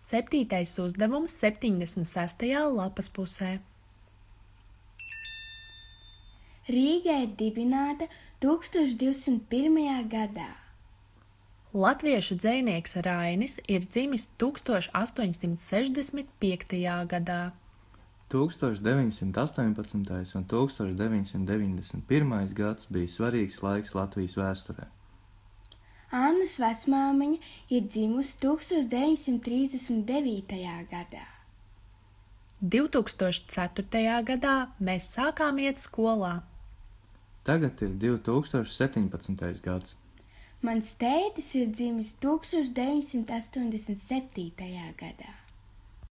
7. uzdevums 76. lapas pusē. Rīga ir dibināta 1201. gadā. Latviešu dzejnieks Rainis ir dzimis 1865. gadā. 1918. un 1991. gads bija svarīgs laiks Latvijas vēsturē. Annas vecmāmiņa ir dzimusi 1939. gadā. 2004. gadā mēs sākām iet skolā. Tagad ir 2017. gads. Mans tētis ir dzimis 1987. gadā.